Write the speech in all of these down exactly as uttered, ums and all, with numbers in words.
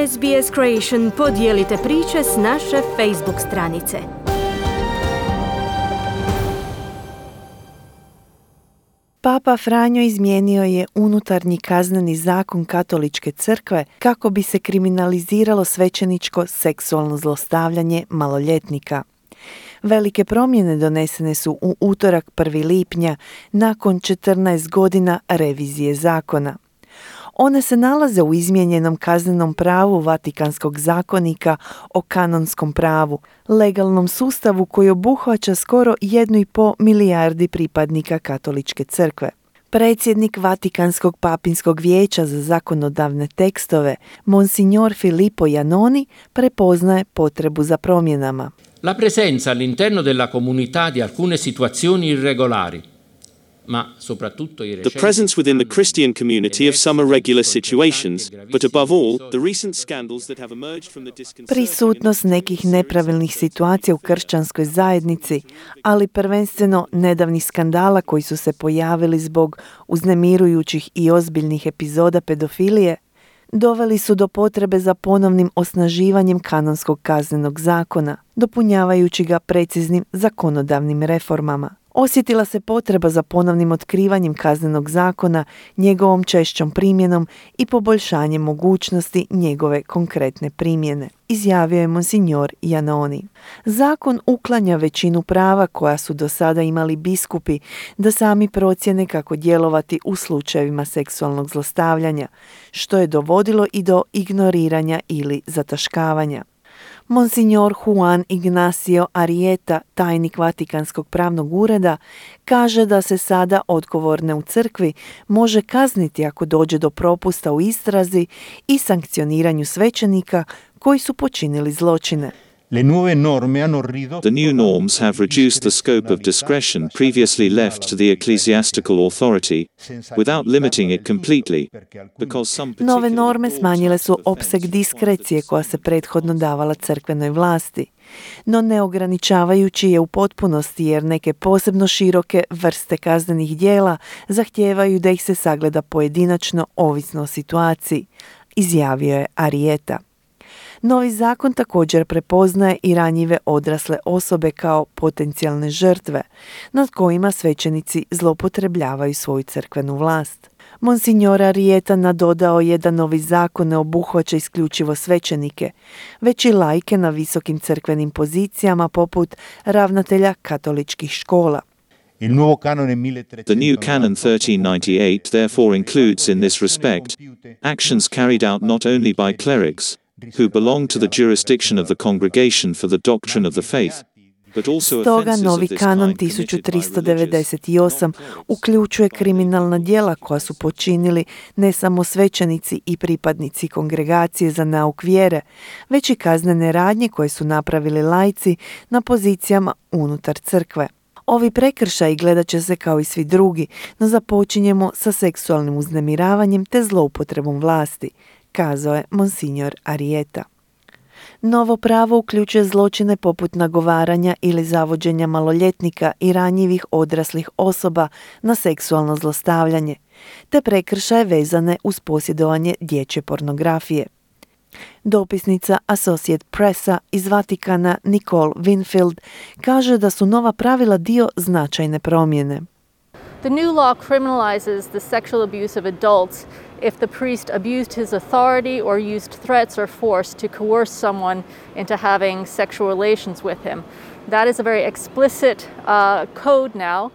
S B S Creation podijelite priče s naše Facebook stranice. Papa Franjo izmijenio je unutarnji kazneni zakon Katoličke crkve kako bi se kriminaliziralo svećeničko seksualno zlostavljanje maloljetnika. Velike promjene donesene su u utorak prvog lipnja nakon četrnaest godina revizije zakona. One se nalaze u izmijenjenom kaznenom pravu Vatikanskog zakonika o kanonskom pravu, legalnom sustavu koji obuhvaća skoro jednu i pol milijardi pripadnika Katoličke crkve. Predsjednik Vatikanskog papinskog vijeća za zakonodavne tekstove, Monsignor Filippo Janoni, prepoznaje potrebu za promjenama. La presenza all'interno della comunità di alcune situazioni irregolari, ma soprattutto i recenti... The presence within the Christian community of some irregular situations, but above all, the recent scandals that have emerged from the disconcerting... Prisutnost nekih nepravilnih situacija u kršćanskoj zajednici, ali prvenstveno nedavnih skandala koji su se pojavili zbog uznemirujućih i ozbiljnih epizoda pedofilije, doveli su do potrebe za ponovnim osnaživanjem kanonskog kaznenog zakona, dopunjavajući ga preciznim zakonodavnim reformama. Osjetila se potreba za ponovnim otkrivanjem kaznenog zakona, njegovom češćom primjenom i poboljšanjem mogućnosti njegove konkretne primjene, izjavio je Monsignor Janoni. Zakon uklanja većinu prava koja su do sada imali biskupi da sami procjene kako djelovati u slučajevima seksualnog zlostavljanja, što je dovodilo i do ignoriranja ili zataškavanja. Monsignor Juan Ignacio Arrieta, tajnik Vatikanskog pravnog ureda, kaže da se sada odgovorne u crkvi može kazniti ako dođe do propusta u istrazi i sankcioniranju svećenika koji su počinili zločine. The new norms have reduced the scope of discretion previously left to the ecclesiastical authority, without limiting it completely, because some Nove norme smanjile su opseg diskrecije koja se prethodno davala crkvenoj vlasti, no ne ograničavajući je u potpunosti jer neke posebno široke vrste kaznenih djela zahtijevaju da ih se sagleda pojedinačno ovisno o situaciji, izjavio je Arrieta. Novi zakon također prepoznaje i ranjive odrasle osobe kao potencijalne žrtve, nad kojima svećenici zloupotrebljavaju svoju crkvenu vlast. Monsignor Arrieta nadodao je da novi zakon ne obuhvaća isključivo svećenike, već i laike na visokim crkvenim pozicijama poput ravnatelja katoličkih škola. The new Canon thirteen ninety-eight therefore includes in this respect actions carried out not only by clerics, who belong to the jurisdiction of the Congregation for the Doctrine of the Faith, but also Stoga novi kanon tisuću tristo devedeset osam uključuje kriminalna djela koja su počinili ne samo svećenici i pripadnici Kongregacije za nauk vjere, već i kaznene radnje koje su napravili laici na pozicijama unutar crkve. Ovi prekršaji gledat će se kao i svi drugi, no započinjemo sa seksualnim uznemiravanjem te zloupotrebom vlasti, kazao je Monsignor Arrieta. Novo pravo uključuje zločine poput nagovaranja ili zavođenja maloljetnika i ranjivih odraslih osoba na seksualno zlostavljanje, te prekršaje vezane uz posjedovanje dječje pornografije. Dopisnica Associate Pressa iz Vatikana Nicole Winfield kaže da su nova pravila dio značajne promjene. The new law criminalizes the sexual abuse of adults if the priest abused his authority or used threats or force to coerce someone into having sexual relations with him. That is a very explicit uh, code now.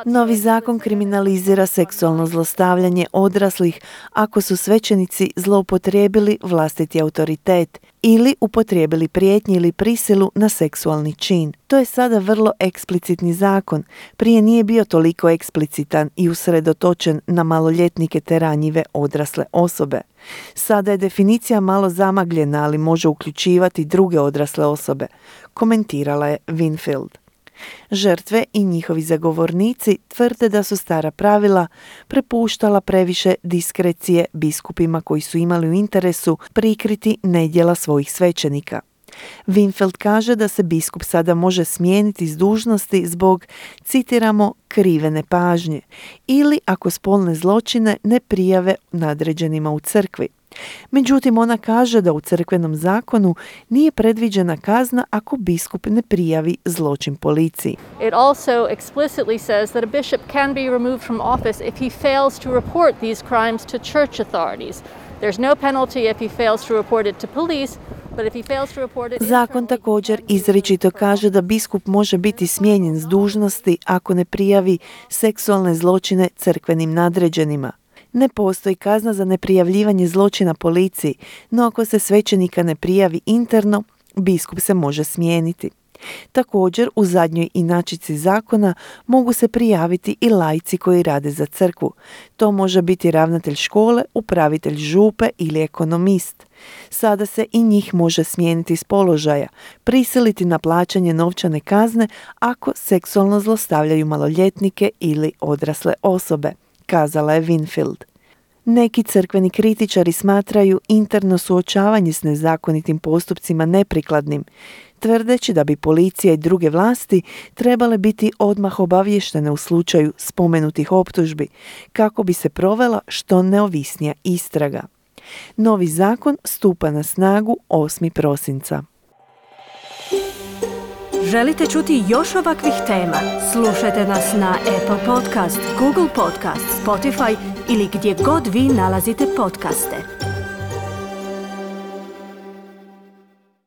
Novi zakon kriminalizira seksualno zlostavljanje odraslih ako su svećenici zloupotrijebili vlastiti autoritet ili upotrijebili prijetnje ili prisilu na seksualni čin. To je sada vrlo eksplicitni zakon. Prije nije bio toliko eksplicitan i usredotočen na maloljetnike te ranjive odrasle osobe. Sada je definicija malo zamagljena, ali može uključivati druge odrasle osobe, komentirala je Winfield. Žrtve i njihovi zagovornici tvrde da su stara pravila prepuštala previše diskrecije biskupima koji su imali u interesu prikriti nedjela svojih svećenika. Winfield kaže da se biskup sada može smijeniti s dužnosti zbog, citiramo, krive nepažnje ili ako spolne zločine ne prijave nadređenima u crkvi. Međutim, ona kaže da u crkvenom zakonu nije predviđena kazna ako biskup ne prijavi zločin policiji. It also explicitly says that a bishop can be removed from office if he fails to report these crimes to church authorities. There's no penalty if he fails to report it to police, but if he fails to report it Zakon također izričito kaže da biskup može biti smijenjen s dužnosti ako ne prijavi seksualne zločine crkvenim nadređenima. Ne postoji kazna za neprijavljivanje zločina policiji, no ako se svećenika ne prijavi interno, biskup se može smijeniti. Također, u zadnjoj inačici zakona mogu se prijaviti i laici koji rade za crkvu. To može biti ravnatelj škole, upravitelj župe ili ekonomist. Sada se i njih može smijeniti s položaja, prisiliti na plaćanje novčane kazne ako seksualno zlostavljaju maloljetnike ili odrasle osobe, kazala je Winfield. Neki crkveni kritičari smatraju interno suočavanje s nezakonitim postupcima neprikladnim, tvrdeći da bi policija i druge vlasti trebale biti odmah obavještene u slučaju spomenutih optužbi, kako bi se provela što neovisnija istraga. Novi zakon stupa na snagu osmog prosinca. Želite čuti još ovakvih tema? Slušajte nas na Apple Podcast, Google Podcast, Spotify ili gdje god vi nalazite podcaste.